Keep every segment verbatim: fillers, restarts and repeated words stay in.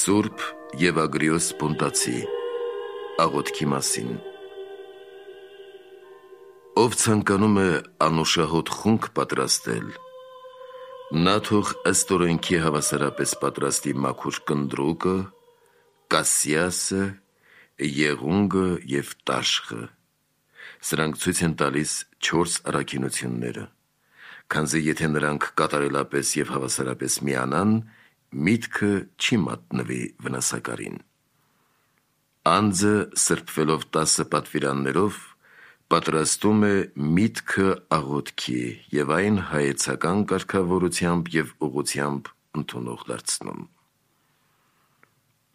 Սուրբ Եվագրիոս Պոնտացի աղոթքի մասին։ Ով ցանկանում է անուշահոտ խունկ պատրաստել, նա թող ըստ օրենքի հավասարապես պատրաստի մաքուր կնդրուկը, կասիասը, եղունգը և տաշխը։ Սրանք ցույց են տալիս չորս առաքինությունները, քանզի եթե նրանք կատարելապես և հավասարապես միանան, միտքը չի մատնվի վնասակարին։ Անձը սրբվելով տասը պատվիրաններով պատրաստում է միտքը աղոթքի և այն հայեցական կարգավորությամբ և ուղղությամբ ընդունող դարձնում։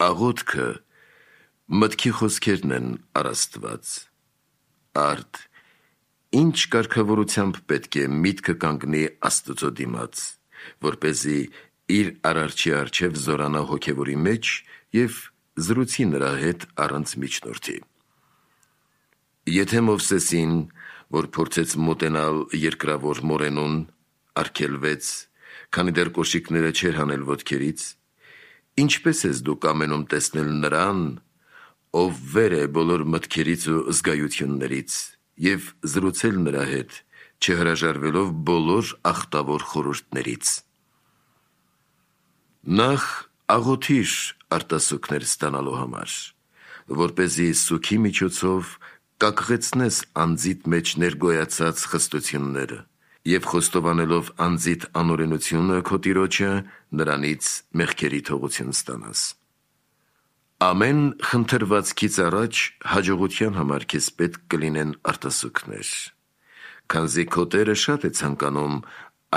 Աղոթքը մտքի խոսքերն են առ Աստված։ Արդ ինչ կարգավորությամբ պետք է միտքը կանգնի Աստծո դիմաց, որպեսզի իր Արարչի առջև զորանա հոգևորի մեջ և զրուցի նրա հետ առանց միջնորդի։ Եթե Մովսեսին, որ փորձեց մոտենալ երկրավոր մորենուն, արգելվեց, քանի դեռ կոշիկները չէր հանել ոտքերից, ինչպե՞ս ես դու կամենում տեսնել նրան, ով վեր է բոլոր մտքերից ու զգայություններից, և զրուցել նրա հետ, չհրաժարվելով բոլոր ախտավոր խորհուրդներից։ Նախ աղոթիր արտասուքներ ստանալու համար, որպեսզի սուգի միջոցով կակղեցնես անձիդ մեջ ներգոյացած խստությունները և խոստովանելով անձիդ անօրենությունը քո Տիրոջը, նրանից մեղքերի թողություն ստանաս։ Ամեն խնդրվածքից առաջ հաջողության համար քեզ պետք կլինեն արտասուքներ, քանզի քո Տերը շատ է ցանկանում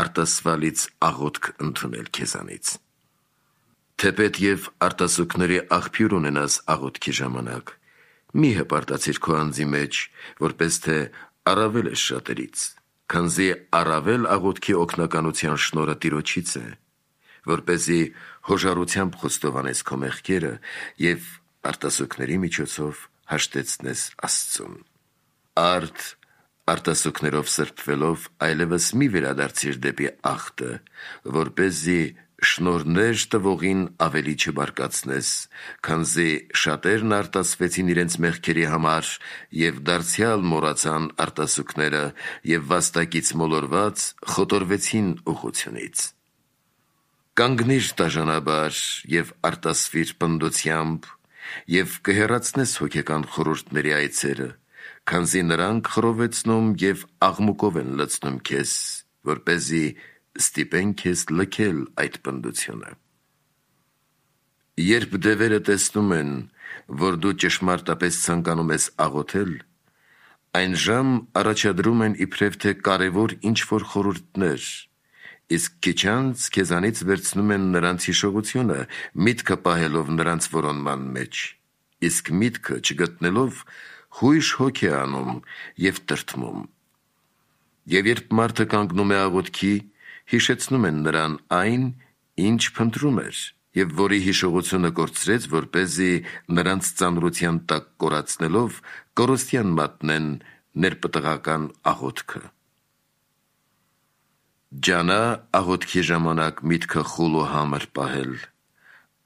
արտասվալից աղոթք ընդունել քեզանից։ Թեպետ և արտասուքների աղբյուր ունենաս աղոթքի ժամանակ, մի հպարտացիր քո անձի մեջ, որպես թե առավել ես շատերից, քանզի առավել աղոթքի օգնականության շնորհը Տիրոջից է, որպեսզի հոժարությամբ խոստովանես քո մեղքերը և արտասուքների միջոցով հաշտեցնես Աստծուն։ Արդ արտասուքներով սրբվելով այլևս մի վերադարձիր դեպի աղտը, որպեսզի շնորհներ տվողին ավելի չբարկացնես, քանզի շատերն արտասվեցին իրենց մեղքերի համար և դարձյալ մոռացան արտասուքները և վաստակից մոլորված խոտորվեցին ուղղությունից։ Կանգնիր դաժանաբար և արտասվիր պնդությամբ և կհեռացնես հոգեկան խորհուրդների այցերը, քանզի նրանք խռովեցնում և աղմուկով են լցնում քեզ, որպեսզի ստիպեն քեզ լքել այդ պնդությունը։ Երբ դևերը տեսնում են, որ դու ճշմարտապես ցանկանում ես աղոթել, այն ժամ առաջադրում են իբրև թե կարևոր ինչ-որ խորհուրդներ, իսկ քիչ անց քեզանից վերցնում են նրանց հիշողությունը, միտքը պահելով նրանց որոնման մեջ, իսկ միտքը չգտնելով հույժ հոգ է անում և տրտմում։ Եվ երբ մարդը կանգնում է աղոթքի, հիշեցնում են նրան այն, ինչ փնտրում էր, և որի հիշողությունը կորցրեց, որպեսզի նրանց ծանրության տակ կորացնելով կորստյան մատնեն ներպտղական աղոթքը։ Ջանա աղոթքի ժամանակ միտքը խուլ ու համր պահել,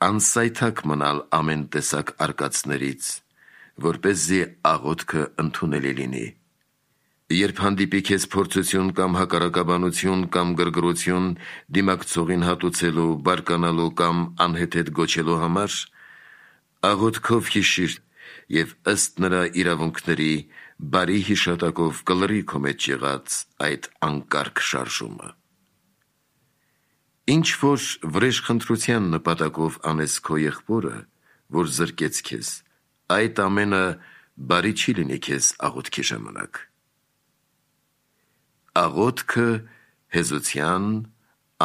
անսայթակ մնալ ամեն տեսակ արկածներից, որպեսզի աղոթքը ընդունելի լինի։ Երբ հանդիպի քեզ փորձություն կամ հակառակաբանություն կամ գրգռություն դիմակցողին հատուցելու, բարկանալու կամ անհեթեթ գոչելու համար, աղոթքով հիշիր և ըստ նրա իրավունքների բարի հիշատակով կլռի քո մեջ եղած այդ անկարգ շարժումը։ Ինչ որ վրեժխնդրության նպատակով անես քո եղբորը, որ զրկեց քեզ, այդ ամենը բարի չի լինի քեզ աղոթքի ժամանակ։ Աղոթքը հեզության,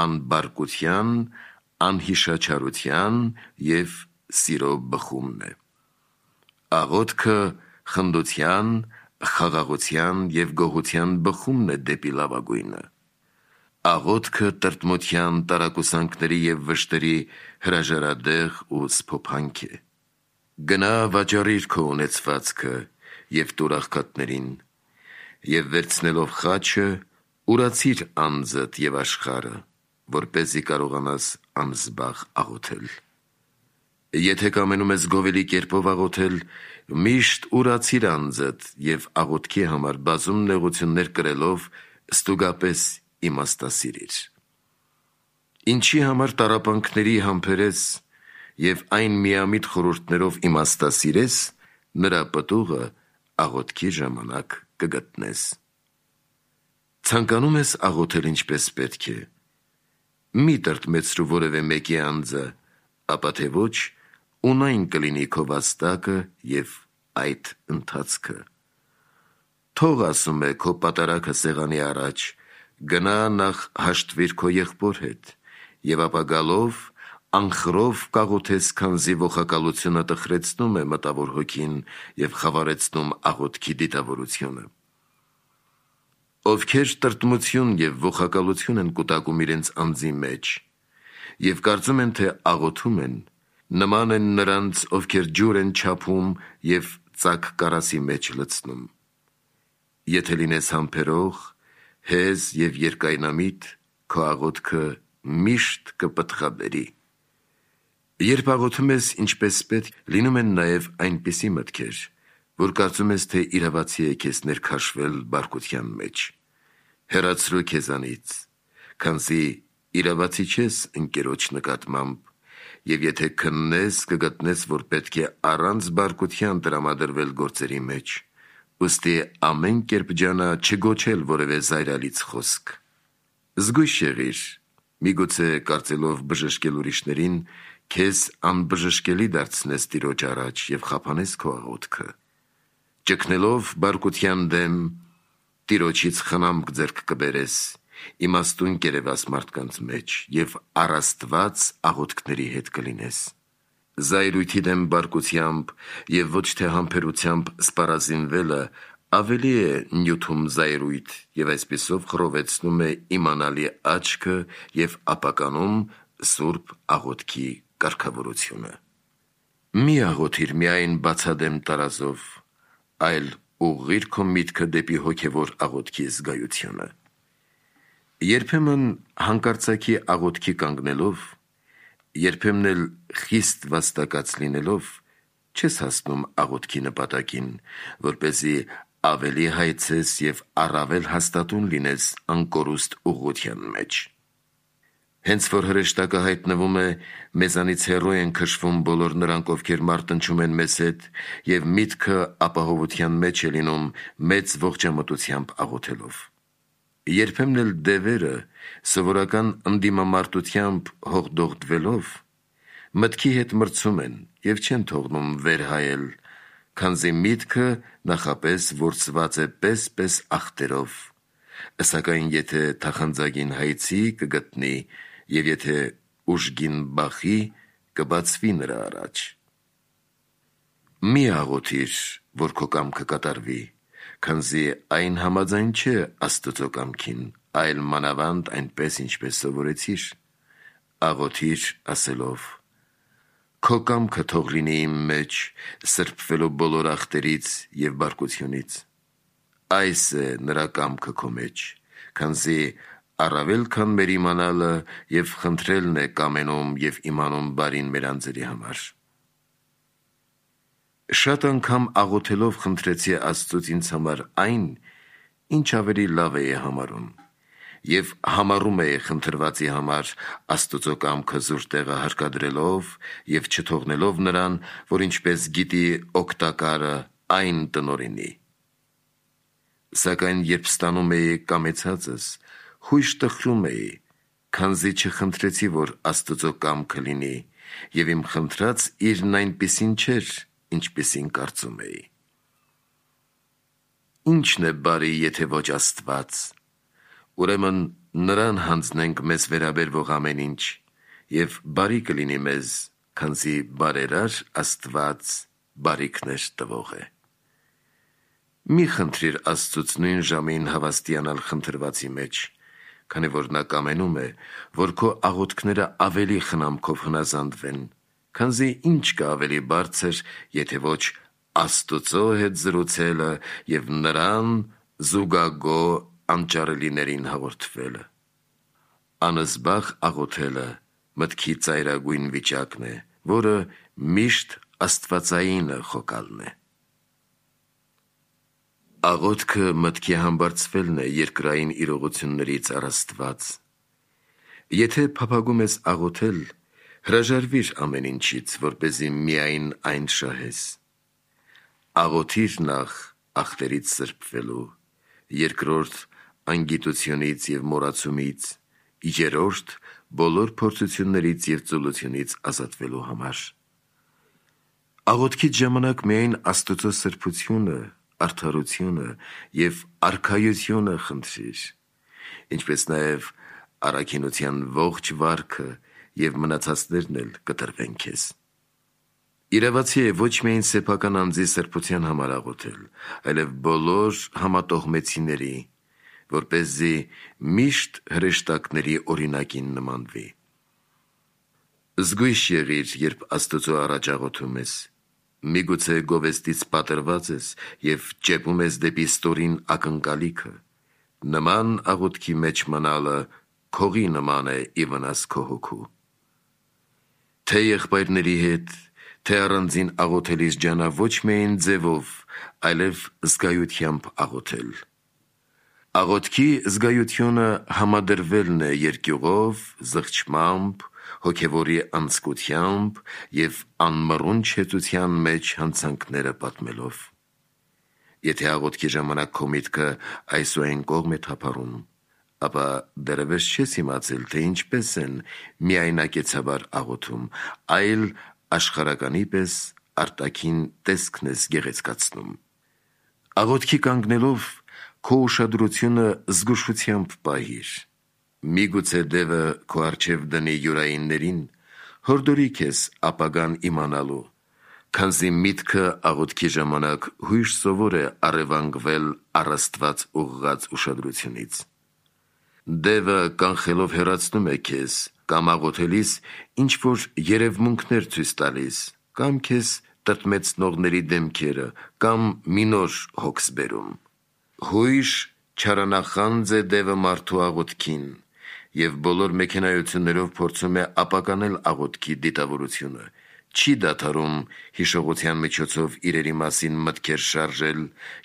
անբարկության, անհիշաչարության և սիրո բխումն է։ Աղոթքը խնդության, խաղաղության և գոհության բխումն է դեպի լավագույնը։ Աղոթքը տրտմության, տարակուսանքների և վշտերի հրաժարադեղ ու սփոփանք է։ Գնա վաճառիր քո ունեցվածքը և տուր աղքատներին, և վերցնելով խաչը, ուրացիր անձդ և աշխարհը, որպեսզի կարողանաս անզբաղ աղոթել։ Եթե կամենում ես գովելի կերպով աղոթել, միշտ ուրացիր անձդ և աղոթքի համար բազում նեղություններ կրելով ստուգապես իմաստասիրիր։ Ինչի համար տառապանքների համբերես և այն միամիտ խորհուրդներով իմաստասիրես, նրա պտուղը աղոթքի ժամանակ կգտնես։ Ցանկանում ես աղոթել ինչպես պետք է, մի տրտմեցրու որևէ մեկի անձը, ապա թե ոչ, ունայն կլինի քո վաստակը և այդ ընթացքը։ Թող, ասում է, քո պատարագը սեղանի առաջ, գնա նախ հաշտվիր քո եղբոր հետ, և ապա գալով անխռով կաղոթես, քանզի ողակալությունը տխրեցնում է մտավոր հոգին և խավարեցնում աղոթքի դիտավորությունը։ Ովքեր տրտմություն և ողակալություն են կուտակում իրենց անձի մեջ և կարծում են, թե աղոթում են, նման են նրանց, ովքեր ջուր են չափում և ծակ կարասի մեջ լցնում։ Եթե լինես համբերող, հեզ և երկայնամիտ, քո աղոթքը միշտ կպտղաբերի։ Երբ աղոթում ես ինչպես պետք, լինում են նաև այնպիսի մտքեր, որ կարծում ես, թե իրավացի է քեզ ներքաշվել բարկության մեջ։ Հեռացրու քեզանից, քանզի իրավացի չես ընկերոջ նկատմամբ, և եթե քննես, կգտնես, որ պետք է առանց բարկության տրամադրվել գործերի մեջ, ուստի ամեն կերպ ջանա չգոչել որևէ զայրալից խոսք։ Զգույշ եղիր, միգուցե կարծելով բժշկել ուրիշներին, քեզ անբժշկելի դարձնես Տիրոջ առաջ և խափանես քո աղոթքը։ Ճգնելով բարկության դեմ, Տիրոջից խնամք ձեռք կբերես, իմաստուն կերևաս մարդկանց մեջ և առ Աստված աղոթքների հետ կլինես։ Զայրույթի դեմ բարկությամբ և ոչ թե համբերությամբ սպառազինվելը ավելի է նյութում զայրույթ և այսպիսով խռովեցնում է իմանալի աչքը և ապականում սուրբ աղոթքի կարգավորությունը։ Մի աղոթիր միայն բացադեմ տարազով, այլ ուղղիր քո միտքը դեպի հոգևոր աղոթքի զգայությունը։ Երբեմն հանկարծակի աղոթքի կանգնելով, երբեմն էլ խիստ վաստակած լինելով, չես հասնում աղոթքի նպատակին, որպեսզի ավելի հայցես և առավել հաստատուն լինես անկորուստ ուղղության մեջ։ Հենց որ հրեշտակը հայտնվում է, մեզանից հեռու են քշվում բոլոր նրանք, ովքեր մարտնչում են մեզ հետ, և միտքը ապահովության մեջ է լինում մեծ ողջամտությամբ աղոթելով։ Երբեմն էլ դևերը, սովորական ընդդիմամարտությամբ հողդողդվելով, մտքի հետ մրցում են և չեն թողնում վեր հայել, քանզի միտքը նախապես որսված է պես-պես ախտերով, սակայն եթե թախանձագին հայցի, կգտնի, և եթե ուժգին բախի, կբացվի նրա առաջ։ Մի աղոթիր, որ քո կամքը կատարվի, քանզի այն համաձայն չէ Աստծո կամքին, այլ մանավանդ այնպես, ինչպես սովորեցիր։ Աղոթիր ասելով. «Քո կամքը թող լինի իմ մեջ, սրբվելով բոլոր ախտերից և բարկությունից»։ Այս է նրա կամքը քո մեջ, քանզի առավել քան մեր իմանալը և խնդրելն է կամենում և իմանում բարին մեր անձերի համար։ Շատ անգամ աղոթելով խնդրեցի Աստծուց ինձ համար այն, ինչ ավելի լավ էի համարում, և համառում էի խնդրվածի համար Աստծո կամքը զուր տեղը հարկադրելով և չթողնելով նրան, որ ինչպես գիտի օգտակարը այն տնօրինի։ Սակայն երբ ստանում էի կամեցածս, հույժ տխրում էի, քանզի չխնդրեցի, որ Աստծո կամքը լինի, և իմ խնդրած իրն այնպիսին չէր, ինչպիսին կարծում էի։ Ի՞նչն է բարի, եթե ոչ Աստված։ Ուրեմն նրան հանձնենք մեզ վերաբերվող ամեն ինչ, և բարի կլինի մեզ, քանզի բարերար Աստված բարիքներ տվող է։ Մի խնդրիր Աստծուց նույն ժամին հավաստիանալ խնդրվածի մեջ, քանի որ նա կամենում է, որ քո աղոթքները ավելի խնամքով հնազանդվեն, քանզի ինչ կա ավելի բարձր, եթե ոչ Աստծո հետ զրուցելը և նրան զուգագո անճարելիներին հաղորդվելը։ Անզբաղ աղոթելը մտքի ծայրագույն վիճակն է, որը միշտ աստվածայինը խոկալն է։ Աղոթքը մտքի համբարձվելն է երկրային իրողություններից առաստված։ Եթե փափագում ես աղոթել, հրաժարվիր ամեն ինչից, որպեսզի միայն այն շահես։ Աղոթիր նախ ախտերից սրբվելու, երկրորդ անգիտությունից և մոռացումից, երրորդ բոլոր փորձություններից և ծուլությունից ազատվելու համար։ Աղոթքից ժամանակ միայն Աստծո սրբությունը, արդարությունը և արքայությունը խնդրիր, ինչպես նաև առաքինության ողջ վարքը և մնացածներն էլ կտրվեն քեզ։ Իրավացի է ոչ միայն սեփական անձի սրբության համար աղոթել, այլև բոլոր համատողմեցիների, որպեսզի միշտ հրեշտակների օրինակին նմանվի։ Զգույշ եղիր, երբ Աստծո առաջ աղոթում ես, միգուցե գովեստից պատրված ես և ճեպում ես դեպի ստորին ակնկալիքը։ Նման աղոթքի մեջ մնալը քողի նման է ի վնաս քո հոգու։ Թե եղբայրների հետ, թե առանձին աղոթելիս ջանա ոչ միայն ձևով, այլև զգայությամբ աղոթել։ Աղոթքի զգայությունը համադրվելն է երկյուղով, զղջմամբ, հոգևորի անձկությամբ և անմռունչ հեծության մեջ հանցանքները պատմելով։ Եթե աղոթքի ժամանակ քո միտքը այս ու այն կողմ է թափառում, ապա դեռևս չես իմացել, թե ինչպես են միայնակեցաբար աղոթում, այլ աշխարհականի պես արտաքին տեսքն ես գեղեցկացնում։ Աղոթքի կանգնելով քո ուշադրությունը զգուշությամբ պահիր։ Միգուցե դևը քո առջև դնի յուրայիններին, հորդորի քեզ ապագան իմանալու, քանզի միտքը աղոթքի ժամանակ հույժ սովոր է առևանգվել առ Աստված ուղղված ուշադրությունից։ Դևը կանխելով հեռացնում է քեզ, կամ աղոթելիս ինչ-որ երևմունքներ ցույց տալիս, կամ քեզ տրտմեցնողների դեմքերը, կամ մի նոր հոգս բերում։ Հույժ չարանախանձ է դևը մարդու աղոթքին և բոլոր մեքենայություններով փորձում է ապականել աղոթքի դիտավորությունը, չի դադարում հիշողության միջոցով իրերի մասին մտքեր շարժել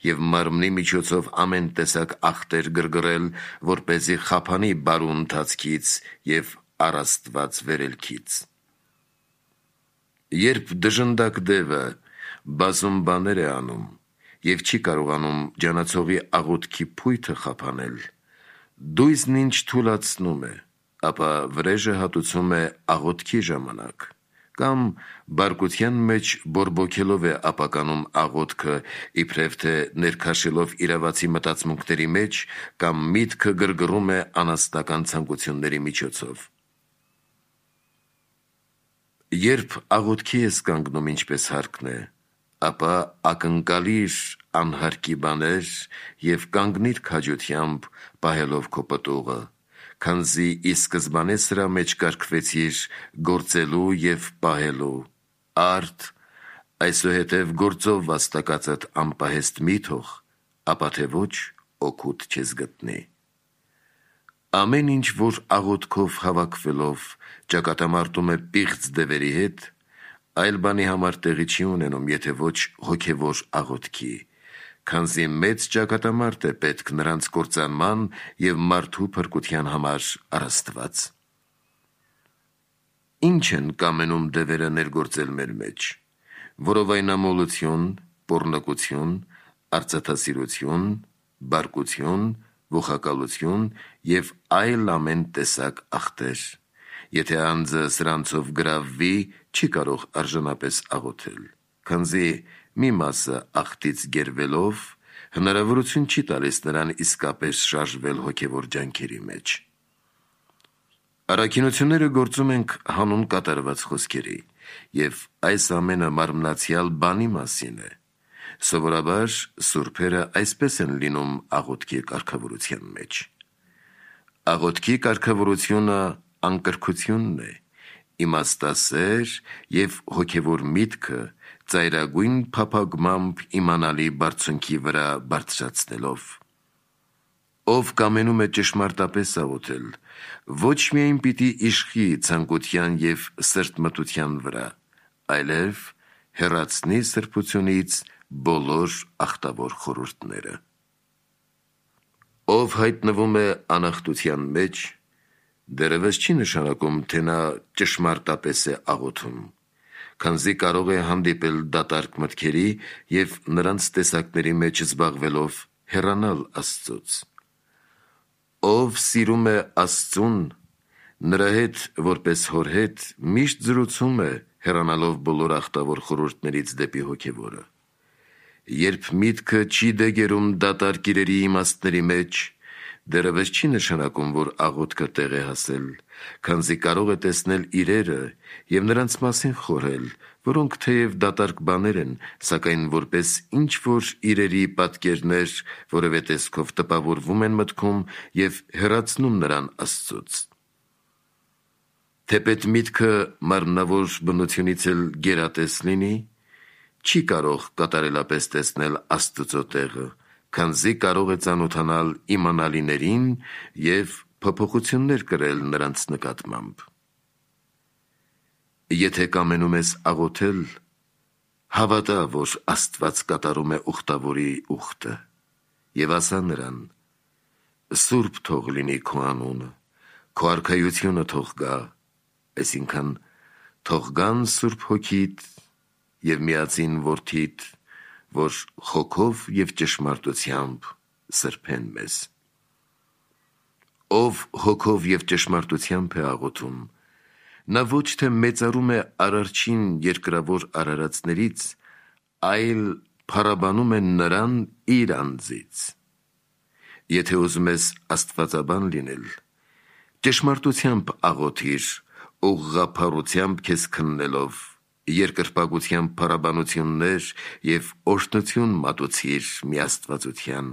և մարմնի միջոցով ամեն տեսակ ախտեր գրգռել, որպեսզի խափանի բարու ընթացքից և առ Աստված վերելքից։ Երբ դժնդակ դևը բազում բաներ է անում և չի կարողանում ջանացողի աղոթքի փույթը խափանել, դույզն ինչ թուլացնում է, ապա վրեժը հատուցում է աղոթքի ժամանակ, կամ բարկության մեջ բորբոքելով է ապականում աղոթքը, իբրև թե ներքաշելով իրավացի մտածմունքների մեջ, կամ միտքը գրգռում է անասնական ցանկությունների միջոցով։ Երբ աղոթքի ես կանգնում ինչպես հարկն է, ապա ակնկալիր անհարկի բաներ և կանգնիր քաջությամբ, պահելով քո պտուղը, քանզի ի սկզբանե սրա մեջ կարգվեցիր գործելու և պահելու, արդ այսուհետև գործով վաստակածդ անպահեստ մի թող, ապա թե ոչ օգուտ չես գտնի։ Ամեն ինչ, որ աղոթքով հավաքվելով ճակատամարտում է պիղծ դևերի հետ, այլ բանի համար տեղի չի ունենում, եթե ոչ հոգևոր աղոթքի, քանզի մեծ ճակատամարտ է պետք նրանց կործանման և մարդու փրկության համար առ Աստված։ Ինչ են կամենում դևերը ներգործել մեր մեջ։ Որովայնամոլություն, պոռնկություն, արծաթասիրություն, բարկություն, ողակալություն և այլ ամեն տեսակ ախտեր։ Եթե անձը սրանցով գրավվի, չի կարող արժանապես աղոթել, քանզի մի մասը ախտից գերվելով հնարավորություն չի տալիս նրան իսկապես շարժվել հոգևոր ջանքերի մեջ։ Առաքինությունները գործում ենք հանուն կատարված խոսքերի, և այս ամենը մարմնացյալ բանի մասին է։ Սովորաբար սուրբերը այսպես են լինում աղոթքի կարգավորության մեջ։ Աղոթքի կարգավորությունը անկրքությունն է, իմաստասեր և հոգևոր միտքը ծայրագույն փափագմամբ իմանալի բարձունքի վրա բարձրացնելով։ Ով կամենում է ճշմարտապես աղոթել, ոչ միայն պիտի իշխի ցանկության և սրտմտության վրա, այլև հեռացնի սրբությունից բոլոր ախտավոր խորհուրդները։ Ով հայտնվում է անախտության մեջ, դեռևս չի նշանակում, թե նա ճշմարտապես է աղոթում, քանզի կարող է հանդիպել դատարկ մտքերի և նրանց տեսակների մեջ զբաղվելով հեռանալ Աստծուց։ Ով սիրում է Աստծուն, նրա հետ որպես հոր հետ միշտ զրուցում է, հեռանալով բոլոր ախտավոր խորհուրդներից դեպի հոգևորը։ Երբ միտքը չի դեգերում դատարկ իրերի իմաստների մեջ, դեռևս չի նշանակում, որ աղոթքը տեղ է հասել, քանզի կարող է տեսնել իրերը և նրանց մասին խորհել, որոնք թեև դատարկ բաներ են, սակայն որպես ինչ-որ իրերի պատկերներ որևէ տեսքով տպավորվում են մտքում և հեռացնում նրան Աստծուց։ Թեպետ միտքը մարմնավոր բնությունից էլ գերատես լինի, չի կարող կատարելապես տեսնել Աստծո տեղը, քանզի կարող է ծանոթանալ իմանալիներին և փոփոխություններ կրել նրանց նկատմամբ։ Եթե կամենում ես աղոթել, հավատա, որ Աստված կատարում է ուխտավորի ուխտը, և ասա նրան. «Սուրբ թող լինի քո անունը, քո արքայությունը թող գա», այսինքն թող գան Սուրբ Հոգիդ և միածին Որդիդ, որ հոգով և ճշմարտությամբ սրբեն մեզ։ Ով հոգով և ճշմարտությամբ է աղոթում, նա ոչ թե մեծարում է Արարչին երկրավոր արարածներից, այլ փառաբանում է նրան իր անձից։ Եթե ուզում ես աստվածաբան լինել, ճշմարտությամբ աղոթիր, ուղղափառությամբ քեզ քննելով, երկրպագությամբ փառաբանություններ և օրհնություն մատուցիր միաստվածության։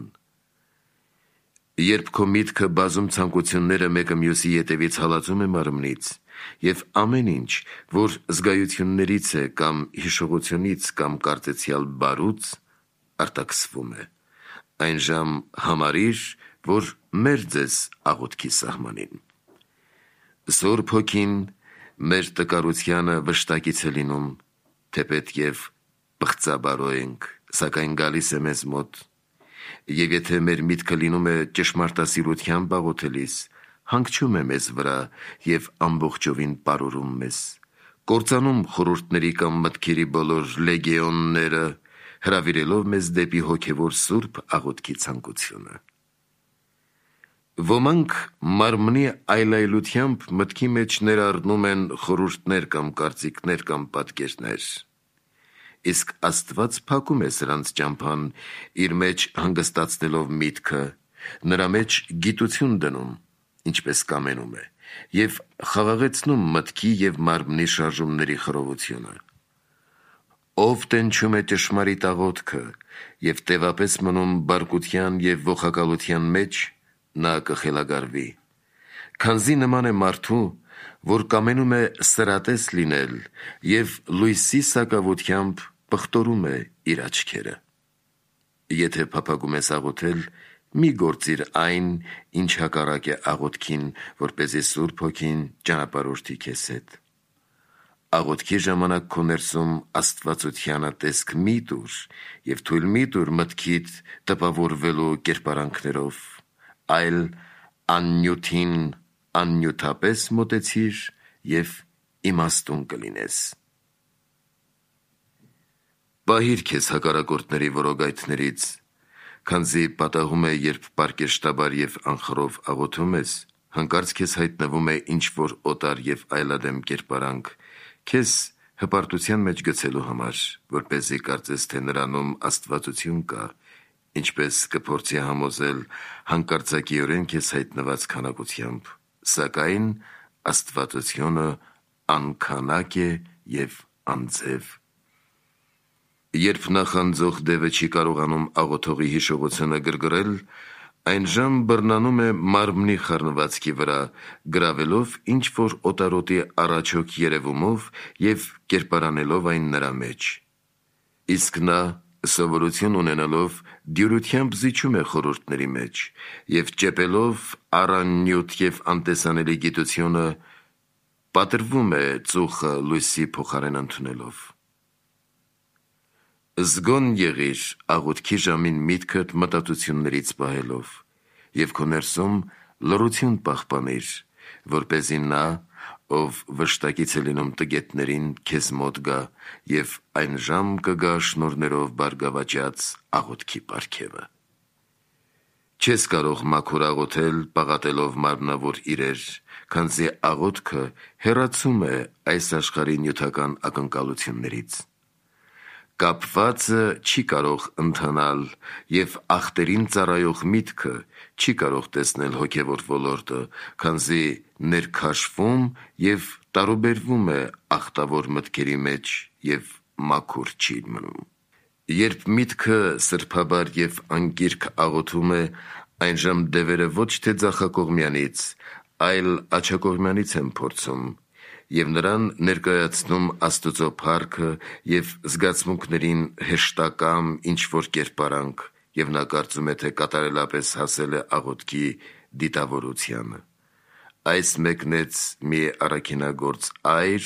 Երբ քո միտքը բազում ցանկությունները մեկը մյուսի ետևից հալածում է մարմնից, և ամեն ինչ, որ զգայություններից է կամ հիշողությունից կամ կարծեցյալ բարուց, արտաքսվում է, այնժամ համարիր, որ մերձ ես աղոթքի սահմանին։ Սուրբ Հոգին մեր տկարությանը վշտակից է լինում, թեպետ և պղծաբարո ենք, սակայն գալիս է մեզ մոտ, և եթե մեր միտքը լինում է ճշմարտասիրությամբ աղոթելիս, հանգչում է մեզ վրա և ամբողջովին պարուրում մեզ, կործանում խորհուրդների կամ մտքերի բոլոր լեգեոնները, հրավիրելով մեզ դեպի հոգևոր սուրբ աղոթքի ցանկությունը։ Ոմանք մարմնի այլայլությամբ մտքի մեջ ներառնում են խորհուրդներ կամ կարծիքներ կամ պատկերներ, իսկ Աստված փակում է սրանց ճամփան, իր մեջ հանգստացնելով միտքը, նրա մեջ գիտություն դնում, ինչպես կամենում է, և խաղաղեցնում մտքի և մարմնի շարժումների խռովությունը։ Ով տենչում է ճշմարիտ աղոթքը և տևապես մնում բարկության և ողակալության մեջ, նա կխելագարվի, քանզի նման է մարդու, որ կամենում է սրատես լինել և լույսի սակավությամբ պղտորում է իր աչքերը։ Եթե փափագում ես աղոթել, մի գործիր այն, ինչ հակառակ է աղոթքին, որպեսզի Սուրբ Հոգին ճանապարհորդի քեզ հետ։ Աղոթքի ժամանակ քո ներսում աստվածությանը տեսք մի տուր և թույլ մի տուր մտքիդ տպավորվելու կերպարանքներով, այլ աննյութին աննյութապես մոտեցիր և իմաստուն կլինես։ Պահիր քեզ հակառակորդների որոգայթներից, քանզի պատահում է, երբ պարկեշտաբար և անխռով աղոթում ես, հանկարծ քեզ հայտնվում է ինչ-որ օտար և այլադեմ կերպարանք, քեզ հպարտության մեջ գցելու համար, որպեսզի կարծես, թե նրանում աստվածություն կա, ինչպես կփորձի համոզել հանկարծակիորեն քեզ հայտնված քանակությամբ, սակայն աստվածությունը անքանակ է և անձև։ Երբ նախանձող դևը չի կարողանում աղոթողի հիշողությունը գրգռել, այնժամ բռնանում է մարմնի խառնվածքի վրա, գրավելով ինչ-որ օտարոտի առաջոք երևումով և կերպարանելով այն նրա մեջ։ Իսկ նա, սովորություն ունենալով, դյուրությամբ զիջում է խորհուրդների մեջ և ճեպելով առաննյութ և անտեսանելի գիտությունը, պատրվում է ծուխը լույսի փոխարեն ընդունելով։ Զգոն եղիր աղոթքի ժամին միտքդ մտածություններից պահելով և քո ներսում լռություն պահպանիր, որպեսզի նա, ով վշտակից է լինում տգետներին, քեզ մոտ գա և այն ժամ կգա շնորհներով բարգավաճած աղոթքի պարգևը։ Չես կարող մաքուր աղոթել պաղատելով մարմնավոր իրեր, քանզի աղոթքը հեռացում է այս աշխարհի նյութական ակնկալություններից։ Կապվածը չի կարող ընթանալ և ախտերին ծառայող միտքը չի կարող տեսնել հոգևոր ոլորտը, քանզի ներքաշվում և տարուբերվում է ախտավոր մտքերի մեջ և մաքուր չի մնում։ Երբ միտքը սրբաբար և անկիրք աղոթում է, այնժամ դևերը ոչ թե ձախակողմյանից, այլ աջակողմյանից են փորձում և նրան ներկայացնում Աստծո փառքը և զգացմունքներին հեշտակամ ինչ-որ կերպարանք, և նա կարծում է, թե կատարելապես հասել է աղոթքի դիտավորությանը։ Այս մեկնեց մի առաքինագործ այր,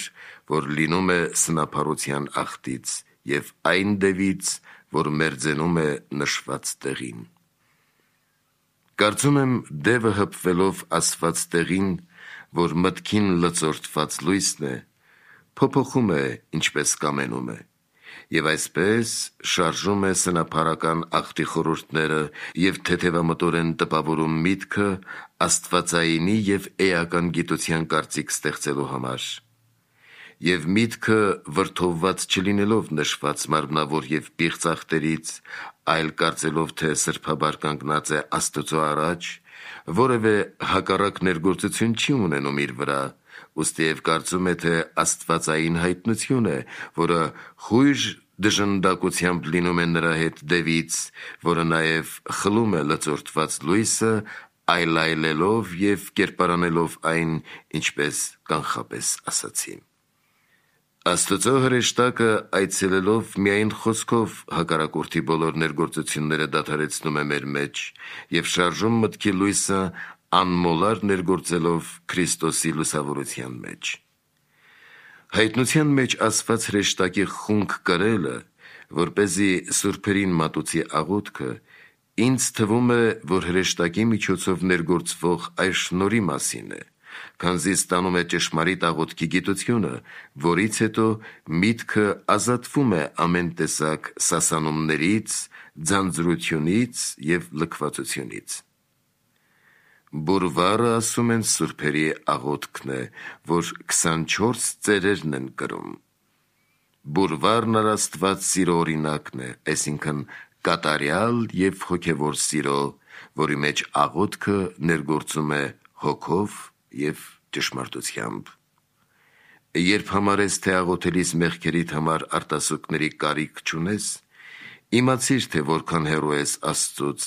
որ լինում է սնափառության ախտից և այն դևից, որ մերձենում է նշված տեղին։ Կարծում եմ, դևը հպվելով ասված տեղին, որ մտքին լծորդված լույսն է, փոփոխում է, ինչպես կամենում է, և այսպես շարժում է սնափառական ախտի խորհուրդները և թեթևամտորեն տպավորում միտքը աստվածայինի և էական գիտության կարծիք ստեղծելու համար։ Եվ միտքը վրդովված չլինելով նշված մարմնավոր և պիղծ ախտերից, այլ կարծելով, թե սրբաբար կանգնած է Աստծո առաջ, որևէ հակառակ ներգործություն չի ունենում իր վրա, ուստիև կարծում է, թե աստվածային հայտնություն է, որը խույժ դժնդակությամբ լինում է նրա հետ դևից, որը նաև խլում է լծորդված լույսը, այլայլելով և կերպարանելով այն, ինչպես կանխապես ասացի։ Աստծո հրեշտակը այցելելով միայն խոսքով հակառակորդի բոլոր ներգործությունները դադարեցնում է մեր մեջ և շարժում մտքի լույսը անմոլար ներգործելով Քրիստոսի լուսավորության մեջ։ Հայտնության մեջ ասված հրեշտակի խունկ կրելը, որպեսզի սուրբերին մատուցի աղոթքը, ինձ թվում է, որ հրեշտակի միջոցով ներգործվող այս շնորհի մասին է, քանզի ստանում է ճշմարիտ աղոթքի գիտությունը, որից հետո միտքը ազատվում է ամեն տեսակ սասանումներից, ձանձրությունից և լքվածությունից։ Բուրվարը, ասում են, սուրբերի աղոթքն է, որ քսանչորս ծերերն են կրում։ Բուրվարն առաստված սիրո օրինակն է, այսինքն կատարյալ և հոգևոր սիրո, որի մեջ աղոթքը ներգործում է հոգով և ճշմարտությամբ։ Երբ համարես, թե աղոթելիս մեղքերիդ համար արտասուքների կարիք չունես, իմացիր, թե որքան հեռու ես Աստծուց,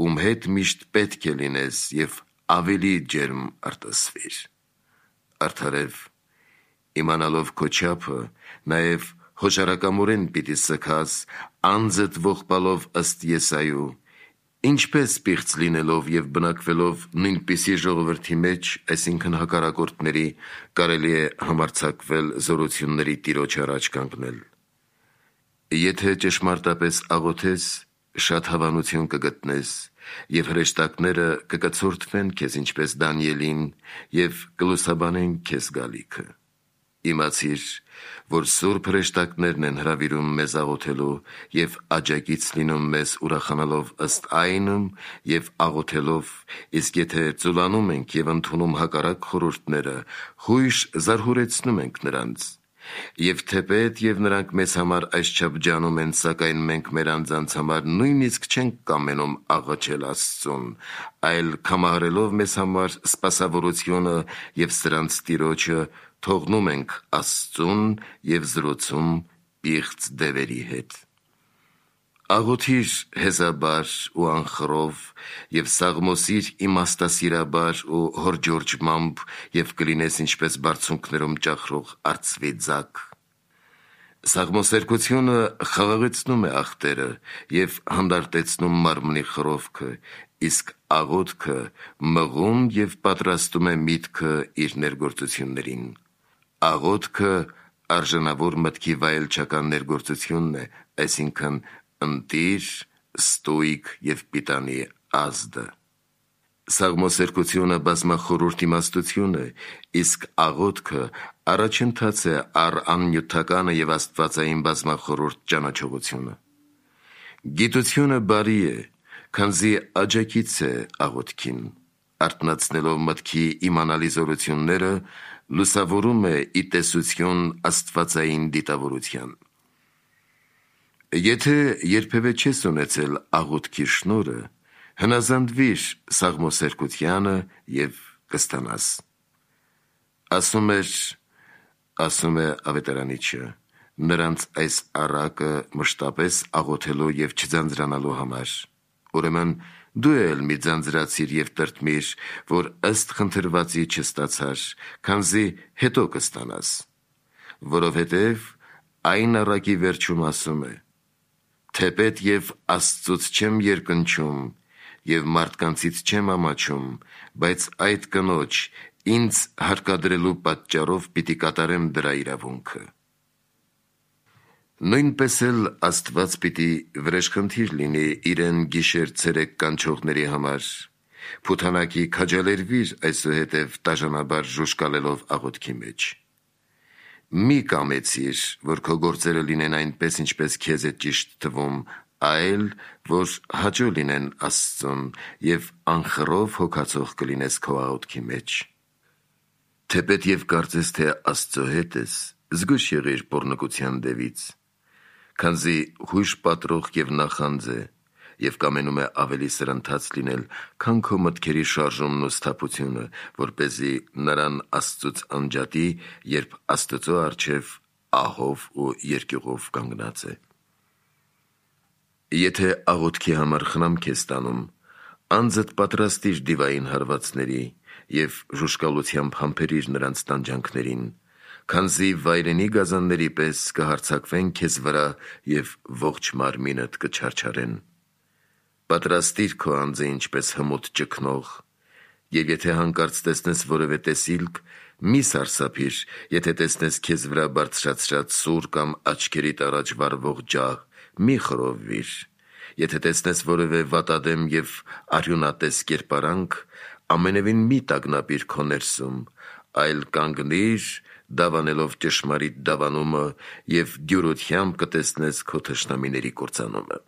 ում հետ միշտ պետք է լինես, և ավելի ջերմ արտասվիր։ Արդարև, իմանալով քո չափը, նաև հոժարակամորեն պիտի սգաս, անձդ ողբալով ըստ Եսայու, ինչպես պիղծ լինելով և բնակվելով նույնպիսի ժողովրդի մեջ, այսինքն հակառակորդների, կարելի է համարձակվել զորությունների Տիրոջ առաջ կանգնել։ Եթե ճշմարտապես աղոթես, շատ հավանություն կգտնես, և հրեշտակները կկցորդվեն քեզ ինչպես Դանիելին և կլուսաբանեն քեզ գալիքը։ Իմացիր, որ սուրբ հրեշտակներն են հրավիրում մեզ աղոթելու և աջակից լինում մեզ ուրախանալով ըստ այնմ և աղոթելով, իսկ եթե ծուլանում ենք և ընդունում հակառակ խորհուրդները, խույժ զարհուրեցնում ենք նրանց։ Եվ թեպետ և նրանք մեզ համար այսչափ ջանում են, սակայն մենք մեր անձանց համար նույնիսկ չենք կամենում աղաչել Աստծուն, այլ կամահարելով մեզ համար սպասավորությունը և սրանց Տիրոջը, թողնում ենք Աստծուն և զրուցում պիղծ դևերի հետ։ Աղոթիր հեզաբար ու անխռով և սաղմոսիր իմաստասիրաբար ու հորջորջմամբ և կլինես ինչպես բարձունքներում ճախրող արծվի ձագ։ Սաղմոսերգությունը խաղաղեցնում է ախտերը և հանդարտեցնում մարմնի խռովքը, իսկ աղոթքը մղում և պատրաստում է միտքը իր ներգործություններին։ աղոթքը արժանավոր մտքի վայելչական ներգործությունն է, այսինքն ընտիր, ստույգ և պիտանի ազդը։ Սաղմոսերկությունը բազմախորհուրդ իմաստություն է, իսկ աղոթքը առաջընթաց է առ աննյութականը և աստվածային բազմախորհուրդ ճանաչողությունը։ Գիտությունը բարի է, քանզի աջակից է աղոթքին, արթնացնելով մտքի իմանալի զորությունները, լուսավորում է ի տեսություն աստվածային դիտավորության։ Եթե երբևէ չես ունեցել աղոթքի շնորհը, հնազանդվիր սաղմոսերկությանը և կստանաս։ Ասում էր, ասում է ավետարանիչը, նրանց այս առակը մշտապես աղոթելու և չձանձրանալու համար, ուրեմն դու էլ մի ձանձրացիր և տրտմիր, որ ըստ խնդրվածի չստացար, քանզի հետո կստանաս, որովհետև այն առակի վերջում ասում է. թեպետ և Աստծուց չեմ երկնչում և մարդկանցից չեմ ամաչում, բայց այդ կնոջ ինձ հարկադրելու պատճառով պիտի կատարեմ դրա իրավունքը։ Նույնպես էլ Աստված պիտի վրեժխնդիր լինի իրեն գիշեր-ցերեկ կանչողների համար, փութանակի քաջալերվիր այսուհետև տաժանաբար ժուժկալելով աղոթքի մեջ։ Մի կամեցիր, որ քո գործերը լինեն այնպես, ինչպես քեզ է ճիշտ թվում, այլ որ հաճո լինեն Աստծուն և անխռով հոգացող կլինես քո աղոթքի մեջ։ Թեպետ և կարծես, թե Աստծո հետ ես, զգույշ եղիր պոռնկության դևից, քանզի հույժ պատրող և նախանձ է և կամենում է ավելի սրընթաց լինել, քան քո մտքերի շարժումն ու սթափությունը, որպեսզի նրան Աստծուց անջատի, երբ Աստծո առջև ահով ու երկյուղով կանգնած է։ Եթե աղոթքի համար խնամք ես ստանում, անձդ պատրաստիր դիվային հարվածների և ժուժկալությամբ համբերիր նրանց տանջանքներին, քանզի վայրենի գազանների պես կհարձակվեն քեզ վրա և ողջ մարմինդ կչարչարեն։ Պատրաստիր քո անձը ինչպես հմուտ ճգնող, և եթե հանկարծ տեսնես որևէ տեսիլք, մի սարսափիր, եթե տեսնես քեզ վրա բարձրացրած սուր կամ աչքերիդ առաջ վառվող ջահ, մի խռովվիր, եթե տեսնես որևէ վատադեմ և արյունատես կերպարանք, ամենևին մի տագնապիր քո ներսում, այլ կանգնիր, դավանելով ճշմարիտ դավանումը և դյուրությամբ կտեսնես քո թշնամիների կործանումը։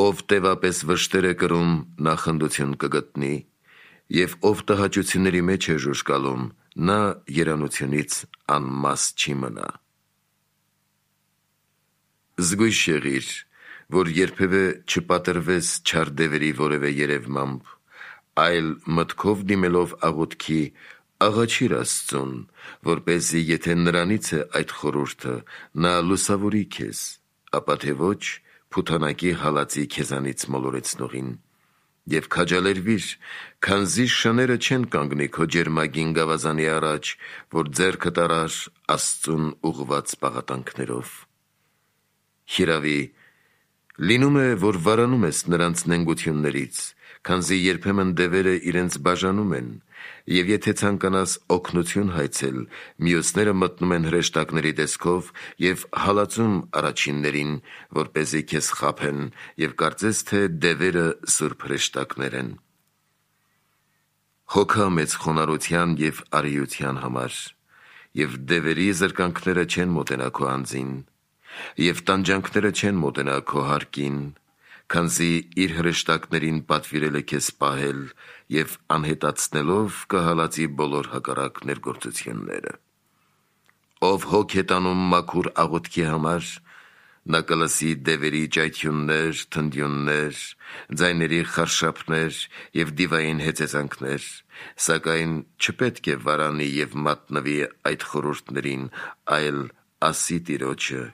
Ով տևապես վշտեր է կրում, նա խնդություն կգտնի, և ով տհաճությունների մեջ է ժուժկալում, նա երանությունից անմաս չի մնա։ Զգույշ եղիր, որ երբևէ չպատռվես չար դևերի որևէ երևմամբ, այլ մտքով դիմելով աղոթքի, աղաչիր Աստծուն, որպեսզի եթե նրանից է այդ խորհուրդը, նա լուսավորի քեզ, ապա թե ոչ փութանակի հալածի քեզանից մոլորեցնողին, և քաջալերվիր, քանզի շները չեն կանգնի քո ջերմագին գավազանի առաջ, որ ձեռքդ առար Աստծուն ուղղված պաղատանքներով։ Հիրավի, լինում է, որ վարանում ես նրանց նենգություններից, քանզի երբեմն դևերը իրենց բաժանում են, և եթե ցանկանաս օգնություն հայցել, մյուսները մտնում են հրեշտակների տեսքով և հալածում առաջիններին, որպեսզի քեզ խաբեն և կարծես, թե դևերը սուրբ հրեշտակներ են։ Հոգա մեծ խոնարհության և արիության համար, և դևերի զրկանքները չեն մոտենա քո անձին, և տանջանքները չեն մոտենա քո հարկին, քանզի իր հրեշտակներին պատվիրել է քեզ պահել և անհետացնելով կհալածի բոլոր հակառակ ներգործությունները։ Ով հոգ է տանում մաքուր աղոթքի համար, նա կլսի դևերի ճայթյուններ, թնդյուններ, ձայների խարշափներ և դիվային հեծեծանքներ, սակայն չպետք է վարանի և մատնվի այդ խորհուրդներին, այլ ասի Տիրոջը.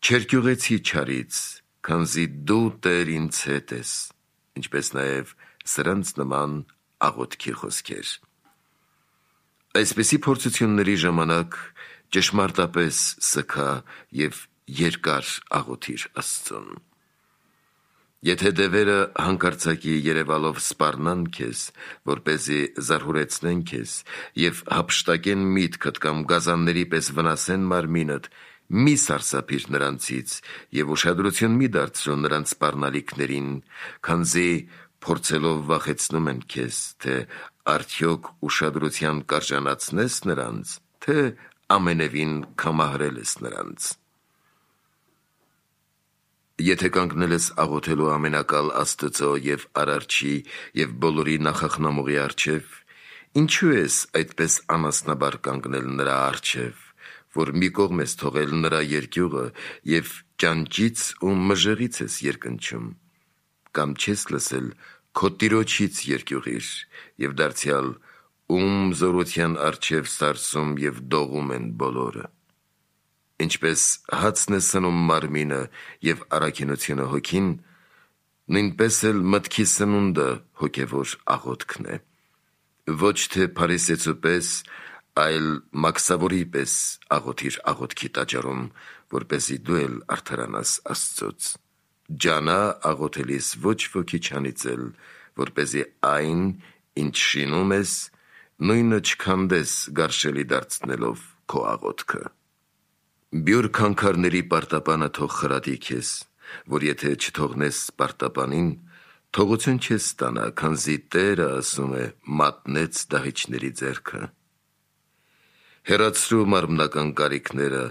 «Չերկյուղեցի չարից, քանզի դու Տեր ինձ հետ ես», ինչպես նաև սրանց նման աղոթքի խոսքեր։ Այսպիսի փորձությունների ժամանակ ճշմարտապես սգա և երկար աղոթիր Աստծուն։ Եթե դևերը հանկարծակի երևալով սպառնան քեզ, որպեսզի զարհուրեցնեն քեզ եւ հափշտակեն միտքդ կամ գազանների պես վնասեն մարմինդ, մի սարսափիր նրանցից եւ ուշադրություն մի դարձրու նրանց սպառնալիքներին, քանզի փորձելով վախեցնում են քեզ, թե արդյոք ուշադրության կարժանացնես նրանց, թե ամենևին կամահրել ես նրանց։ Եթե կանգնել ես աղոթելու ամենակալ Աստծո եւ Արարչի եւ բոլորի նախախնամողի առջև, ինչու ես այդպես անասնաբար կանգնել նրա առջև, որ մի կողմ ես թողել նրա երկյուղը եւ ճանճից ու մժեղից ես երկնչում, կամ չես լսել քո տիրոջից երկյուղիր եւ դարձյալ ում զորության առջև սարսում եւ դողում են բոլորը։ Ինչպես հացն է սնում մարմինը եւ առաքինությունը հոգին, նույնպես էլ մտքի սնունդը հոգևոր աղոթքն է։ Ոչ թե փարիսեցու պես, այլ մաքսավորի պես աղոթիր աղոթքի տաճարում, որպեսզի դու էլ արդարանաս Աստծոց։ Ջանա աղոթելիս ոչ ոքի չանիծել, որպեսզի այն, ինչ շինում ես, նույնը չքանդես գարշելի դարձնելով քո աղոթքը։ Բյուր քանքարների պարտապանը թող խրատի քեզ, որ եթե չթողնես պարտապանին, թողություն չես ստանա, քանզի Տերը ասում է մատնեց դահիճների ձեռքը։ Հեռացրու մարմնական կարիքները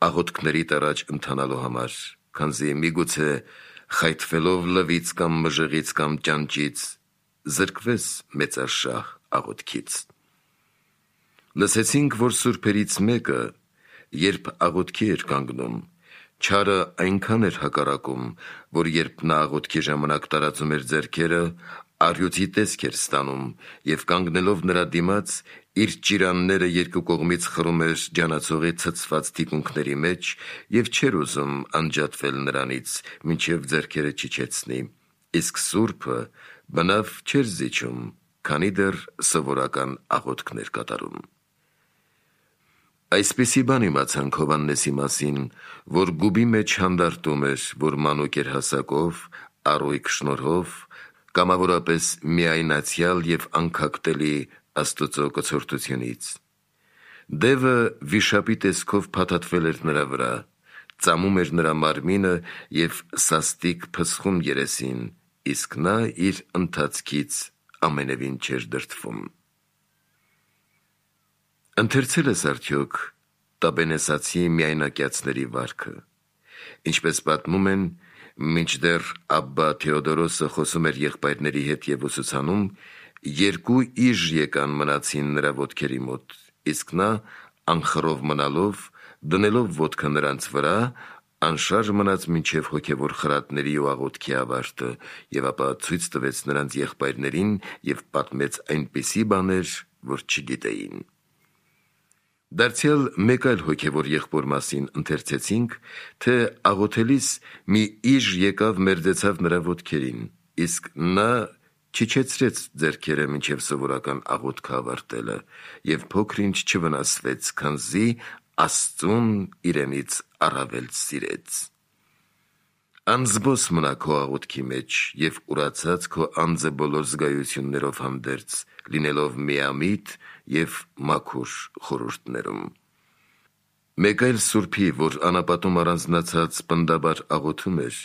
աղոթքների առաջ ընթանալու համար, քանզի միգուցե խայթվելով լվից կամ մժեղից կամ ճանճից զրկվես մեծարշահ աղոթքից։ Լսեցինք, որ սուրբերից մեկը, երբ աղոթքի էր կանգնում, չարը այնքան էր հակառակում, որ երբ նա աղոթքի ժամանակ տարածում էր ձեռքերը, առյուծի տեսք էր ստանում եւ կանգնելով նրա դիմաց, իր ճիրանները երկու կողմից խրում էր ջանացողի ցցված թիկունքների մեջ եւ չէր ուզում անջատվել նրանից, մինչեւ ձեռքերը չիջեցնի, իսկ սուրբը բնավ չէր զիջում, քանի դեռ սովորական աղոթքներ կատարում։ Այսպիսի բան իմացանք Հովհաննեսի մասին, որ գուբի մեջ հանդարտում էր, որ մանուկ էր հասակով, առույգ շնորհով, կամավորապես միայնացյալ եւ անքակտելի Աստծո կցորդությունից։ Դևը վիշապի տեսքով փաթաթվել էր նրա վրա, ծամում էր նրա մարմինը եւ սաստիկ փսխում երեսին, իսկ նա իր ընթացքից ամենևին չէր դրդվում։ Ընթերցել ես արդյոք Տաբենեսացի միայնակյացների վարքը։ Ինչպես պատմում են, մինչդեռ Աբբա Թեոդորոսը խոսում էր եղբայրների հետ եւ ուսուցանում, երկու իժ եկան մնացին նրա ոտքերի մոտ, իսկ նա անխռով մնալով, դնելով ոտքը նրանց վրա, անշարժ մնաց մինչև հոգևոր խրատների ու աղոթքի ավարտը եւ ապա ցույց տվեց նրանց եղբայրներին եւ պատմեց այնպիսի բաներ, որ չգիտեին։ Դարձյալ մեկ այլ հոգևոր եղբոր մասին ընթերցեցինք, թե աղոթելիս մի իժ եկավ մերձեցավ նրա ոտքերին, իսկ նա չիջեցրեց ձեռքերը մինչև սովորական աղոթքը ավարտելը եւ փոքր-ինչ չվնասվեց, քանզի Աստծուն իրենից առավել սիրեց։ Անզբոս մնա քո աղոթքի մեջ եւ ուրացած քո անձը բոլոր զգայություններով հանդերձ, լինելով միամիտ եւ մաքուր խորհուրդներում։ Մեկ այլ սուրբի, որ անապատում առանձնացած պնդաբար աղոթում էր,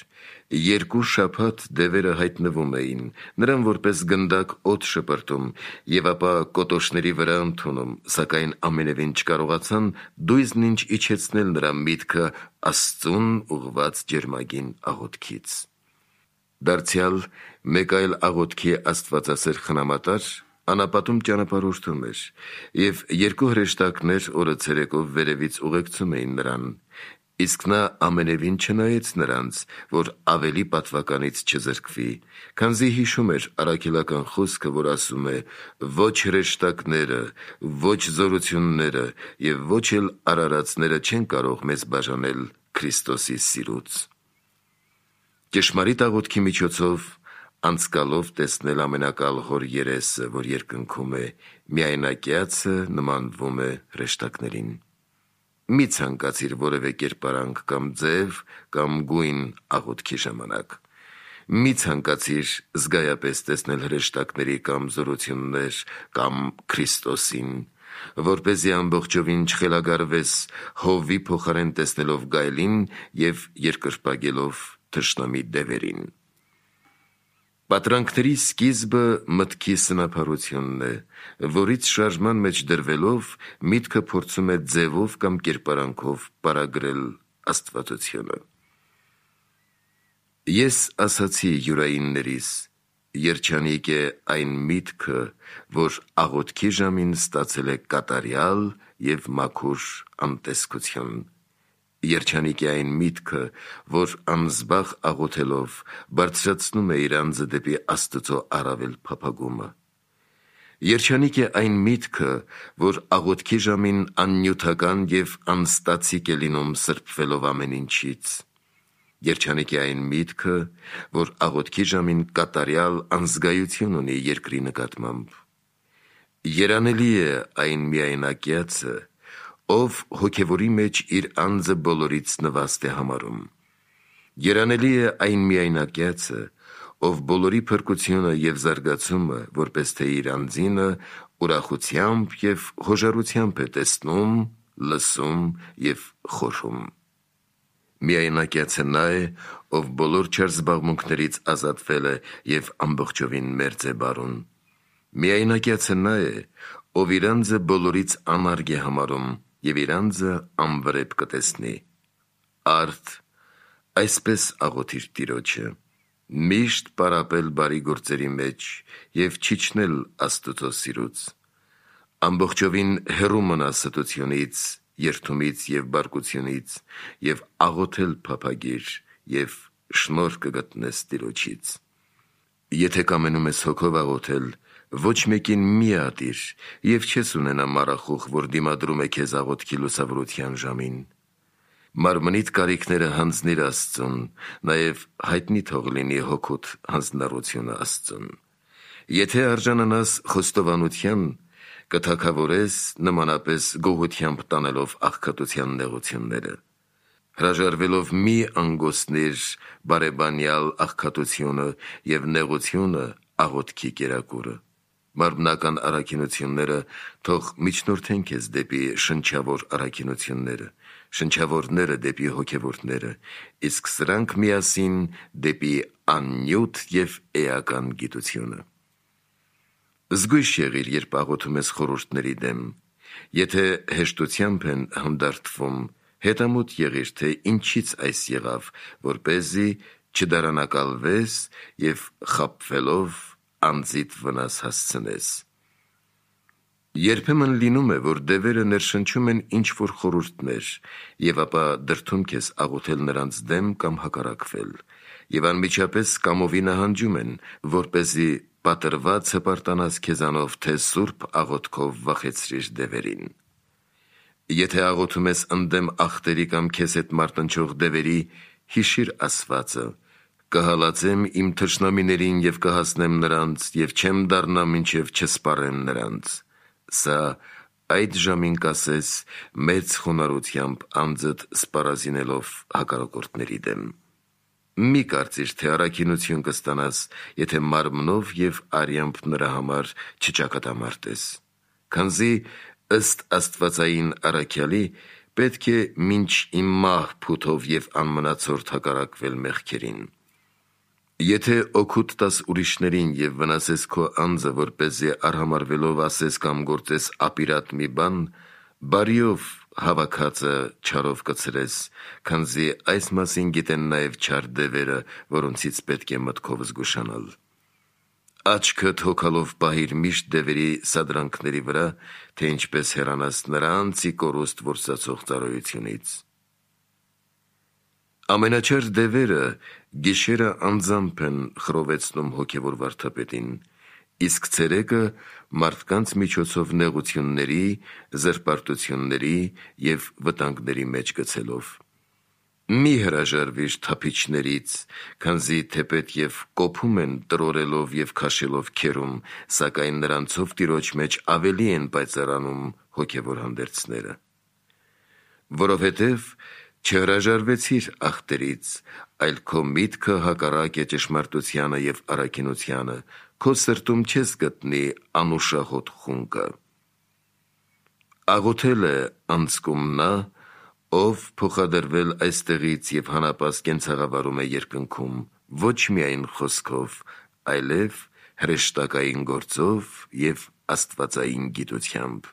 երկու շաբաթ դևերը հայտնվում էին, նրան որպես գնդակ օդ շպրտում եւ ապա կոտոշների վրա ընդունում, սակայն ամենևին չկարողացան դույզն ինչ իջեցնել նրա միտքը Աստծուն ուղված ջերմագին աղոթքից։ Դարձյալ մեկ այլ աղոթքի աստվածասեր խնամատար անապատում ճանապարհորդում էր եւ երկու հրեշտակներ օրը ցերեկով վերևից ուղեկցում էին նրան, իսկ նա ամենևին չնայեց նրանց, որ ավելի պատվականից չզրկվի, քանզի հիշում էր առաքելական խոսքը, որ ասում է. «Ոչ հրեշտակները, ոչ զորությունները եւ ոչ էլ արարածները չեն կարող մեզ բաժանել Քրիստոսի սիրուց»։ Ճշմարիտ աղոթքի միջոցով անցկալով տեսնել ամենակալ հոր երեսը, որ երկնքում է, միայնակյացը նմանվում է հրեշտակներին։ Մի ցանկացիր որևէ կերպարանք կամ ձև կամ գույն աղոթքի ժամանակ։ Մի ցանկացիր զգայապես տեսնել հրեշտակների կամ զորություններ կամ Քրիստոսին, որպեսզի ամբողջովին չխելագարվես հովվի փոխարեն տեսնելով գայլին և երկրպագելով թշնամի դևերին։ Պատրանքների սկիզբը մտքի սնափառությունն է, որից շարժման մեջ դրվելով միտքը փորձում է ձևով կամ կերպարանքով պարագրել աստվածությունը։ Ես ասացի յուրայիններիս, երջանիկ է այն միտքը, որ աղոթքի ժամին ստացել է կատարյալ և մաքուր անտեսքություն։ Երջանիկ է այն միտքը, որ անզբաղ աղոթելով բարձրացնում է իր անձը դեպի Աստծո առավել փափագումը։ Երջանիկ է այն միտքը, որ աղոթքի ժամին աննյութական և անստացիկ է լինում սրբվելով ամեն ինչից։ Երջանիկ է այն միտքը, որ աղոթքի ժամին կատարյալ անզգայություն ունի երկրի նկատմամբ։ Երանելի է այն միայնակյացը, ով հոգևորի մեջ իր անձը բոլորից նվաստ է համարում։ Երանելի է այն միայնակյացը, ով բոլորի փրկությունը և զարգացումը, որպես թե իր անձինը, ուրախությամբ և հոժարությամբ է տեսնում, լսում և խորհում։ Միայնակյացը նա է, ով բոլոր չար զբաղմունքներից ազատվել է և ամբողջովին մերձ է բարուն։ Միայնակյացը նա է, ով իր անձը բոլորից անարգ է համարում և իր անձը անվրեպ կտեսնի։ Արդ այսպես աղոթիր Տիրոջը. միշտ պարապել բարի գործերի մեջ և չիջնել Աստուծո սիրուց, ամբողջովին հեռու մնա ստությունից, երդումից և բարկությունից և աղոթել փափագիր և շնորհ կգտնես Տիրոջից։ Եթե կամենում ես հոգով աղոթել, ոչ մեկին մի ատիր և չես ունենա մառախուղ, որ դիմադրում է քեզ աղոթքի լուսավորության ժամին։ Մարմնիդ կարիքները հանձնիր Աստծուն, նաև հայտնի թող լինի հոգուդ հանձնառությունը Աստծուն։ Եթե արժանանաս խոստովանության, կթագավորես նմանապես գոհությամբ տանելով աղքատության նեղությունները։ Հրաժարվելով մի անգոսնիր բարեբանյալ աղքատությունը և նեղությունը աղոթքի կերակուրը։ Մարմնական առաքինությունները թող միջնորդեն քեզ դեպի շնչավոր առաքինությունները, շնչավորները դեպի հոգևորները, իսկ սրանք միասին դեպի աննյութ և էական գիտությունը։ Զգույշ եղիր, երբ աղոթում ես խորհուրդների դեմ։ Եթե հեշտությամբ են հանդարտվում, հետամուտ եղիր, թե ինչից այս եղավ, որպեսզի չդարանակալվես և խաբվելով անձիդ վնաս հասցնես։ Երբեմն լինում է, որ դևերը ներշնչում են ինչ-որ խորհուրդներ և ապա դրդում քեզ աղոթել նրանց դեմ կամ հակառակվել, և անմիջապես կամովի նահանջում են, որպեսզի պատրված հպարտանաս քեզանով, թե սուրբ աղոթքով վախեցրիր դևերին։ Եթե աղոթում ես ընդդեմ ախտերի կամ քեզ հետ մարտնչող դևերի, հիշիր ասվածը. «Կհալածեմ իմ թշնամիներին և կհասնեմ նրանց, և չեմ դառնա, մինչև չսպառեմ նրանց»։ Սա այդ ժամին կասես մեծ խոնարհությամբ անձդ սպառազինելով հակառակորդների դեմ։ Մի կարծիր, թե առաքինություն կստանաս, եթե մարմնով և արյամբ նրա համար չճակատամարտես, քանզի ըստ աստվածային առաքյալի պետք է մինչ իմ մահ փութով և անմնացորդ հակառակվել մեղքերին։ Եթե օգուտ տաս ուրիշներին և վնասես քո անձը, որպեսզի արհամարհվելով ասես կամ գործես ապիրատ մի բան, բարիով հավաքածը չարով կցրես, քանզի այս մասին գիտեն նաև չար դևերը, որոնցից պետք է մտքով զգուշանալ։ Աչքդ հոգալով պահիր միշտ դևերի սադրանքների վրա, թե ինչպես հեռանաս նրանց ի կորուստ որսացող ծառայությունից։ Ամենաչար դևերը գիշերը անձամբ են խռովեցնում հոգևոր վարդապետին, իսկ ցերեկը մարդկանց միջոցով նեղությունների, զրպարտությունների և վտանգների մեջ գցելով։ Մի հրաժարվիր թափիչներից, քանզի թեպետ և կոփում են տրորելով և քաշելով քերում, սակայն նրանցով Տիրոջ մեջ ավելի են պայծառանում հոգևոր հանդերձները։ Որովհետև Չհրաժարվեցիր ախտերից, այլ քո միտքը հակառակ է ճշմարտությանը և առաքինությանը, քո սրտում չես գտնի անուշահոտ խունկը։ Աղոթել է անցքում նա, ով փոխադրվել այստեղից և հանապաս կենցաղավարում է երկնքում, ոչ միայն խոսքով, այլև հրեշտակային գործով և աստվածային գիտությամբ։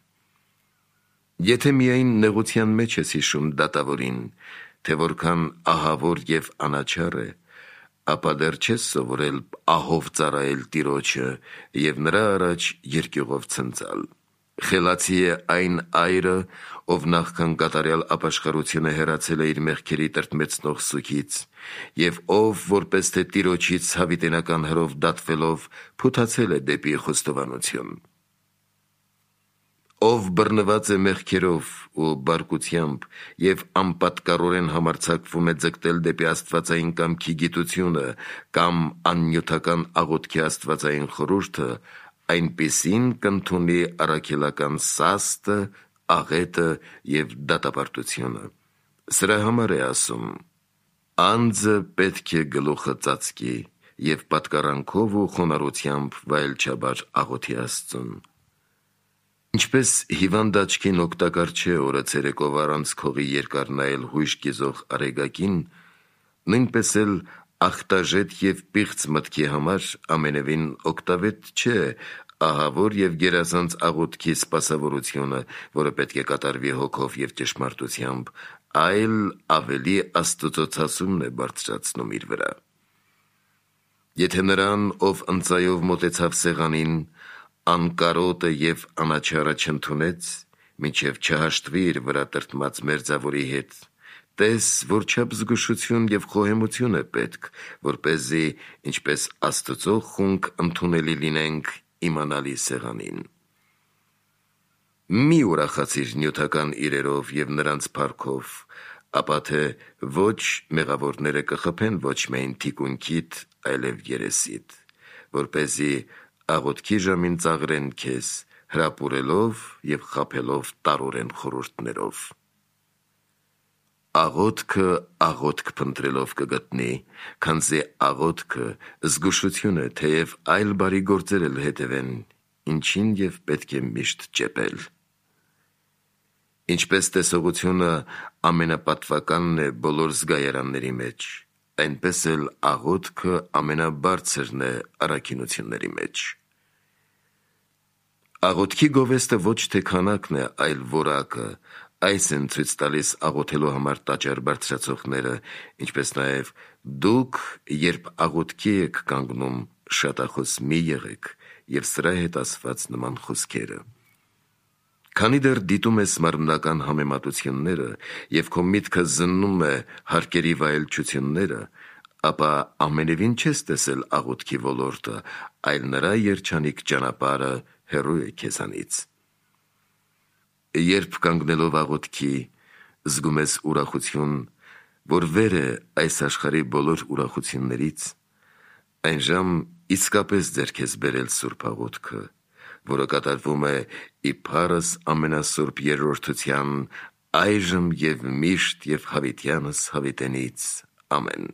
Եթե միայն նեղության մեջ ես հիշում դատավորին, թե որքան ահավոր և անաչառ է, ապա դեռ չես սովորել ահով ծառայել Տիրոջը և նրա առաջ երկյուղով ցնծալ։ Խելացի է այն այրը, ով նախքան կատարյալ ապաշխարությունը հեռացել է իր մեղքերի տրտմեցնող սուգից, և ով, որպես թե Տիրոջից հավիտենական հրով դատվելով, փութացել է դեպի խոստովանություն։ Ով բռնված է մեղքերով ու բարկությամբ և անպատկառորեն համարձակվում է ձգտել դեպի աստվածային կամքի գիտությունը կամ աննյութական աղոթքի աստվածային խորհուրդը, այնպիսին կընդունի առաքելական սաստը, աղետը և դատապարտությունը։ Սրա համար է ասում. «Անձը պետք է գլուխը ծածկի և պատկառանքով ու խոնարհությամբ վայելչաբար աղոթի Աստծուն»։ Ինչպես հիվանդ աչքին օգտակար չէ օրը ցերեկով առանց քողի երկար նայել հույժ կիզող արեգակին, նույնպես էլ ախտաժետ և պիղծ մտքի համար ամենևին օգտավետ չէ ահավոր և գերազանց աղոթքի սպասավորությունը, որը պետք է կատարվի հոգով և ճշմարտությամբ, այլ ավելի աստուծոցասումն է բարձրացնում իր վրա։ Եթե նրան, ով ընծայով մոտեցավ սեղանին, անկարոտը և անաչառը չընդունեց, մինչև չհաշտվի իր վրա տրտմած մերձավորի հետ, տես որչափ զգուշություն և խոհեմություն է պետք, որպեսզի ինչպես Աստծո խունկ ընդունելի լինենք իմանալի սեղանին։ Մի ուրախացիր նյութական իրերով և նրանց փառքով, ապա թե ոչ մեղավորները կխփեն ոչ միայն թիկունքիդ, այլև երեսիդ, որպեսզի աղոթքի ժամին ծաղրեն քեզ, հրապուրելով և խաբելով տարօրեն խորհուրդներով։ Աղոթքը աղոթք փնտրելով կգտնի, քանզի աղոթքը զգուշություն է, թեև այլ բարի գործեր էլ հետևեն, ինչին և պետք է միշտ ճեպել։ Ինչպես տեսողությունը ամենապատվականն է բոլոր զգայարանների մեջ, այնպես էլ աղոթքը ամենաբարձրն է առաքինությունների մեջ։ Աղոթքի գովեստը ոչ թե քանակն է, այլ որակը, այս են ցույց տալիս աղոթելու համար տաճար բարձրացողները, ինչպես նաև դուք, երբ աղոթքի եք կանգնում, շատախոս մի եղեք և սրա հետ ասված նման խոսքերը։ Քանի դեռ դիտում ես մարմնական համեմատությունները և քո միտքը զննում է հարկերի վայելչությունները, ապա ամենևին չես տեսել աղոթքի ոլորտը, այլ նրա երջանիկ ճանապարհը հեռու է քեզանից։ Երբ կանգնելով աղոթքի զգում ես ուրախություն, որ վեր է այս աշխարհի բոլոր ուրախություններից, այնժամ իսկապես ձեռք ես բերել սուրբ աղոթքը, որը կատարվում է ի փառս ամենասուրբ Երրորդության, այժմ և միշտ և հավիտյանս հավիտենից։ Ամեն։